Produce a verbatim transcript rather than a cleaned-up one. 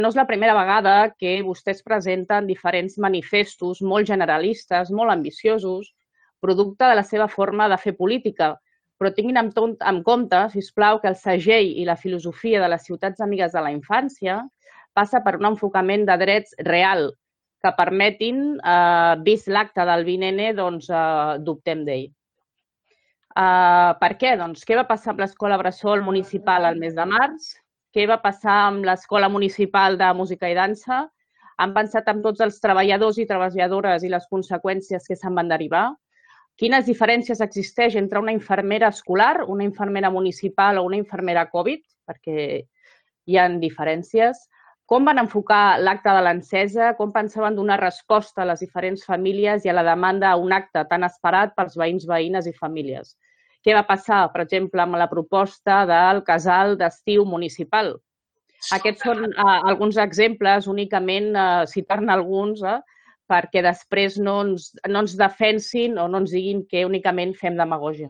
No és la primera vegada que vostès presenten diferents manifestos molt generalistes, molt ambiciosos, producte de la seva forma de fer política, però tinguin en compte, sisplau, que el segell i la filosofia de les ciutats amigues de la infància passa per un enfocament de drets real, que permetin, vist l'acte del vint ene, doncs dubtem d'ell. Per què? Doncs què va passar amb l'escola bressol municipal al mes de març? Què va passar amb l'Escola Municipal de Música i Dansa? Han pensat en tots els treballadors i treballadores i les conseqüències que se'n van derivar? Quines diferències existeix entre una infermera escolar, una infermera municipal o una infermera Covid? Perquè hi ha diferències. Com van enfocar l'acte de l'encesa? Com pensaven donar resposta a les diferents famílies i a la demanda a un acte tan esperat pels veïns, veïnes i famílies? Què va passar, per exemple, amb la proposta del casal d'estiu municipal? Aquests són alguns exemples, únicament citar-ne alguns, perquè després no ens defensin o no ens diguin que únicament fem demagògia.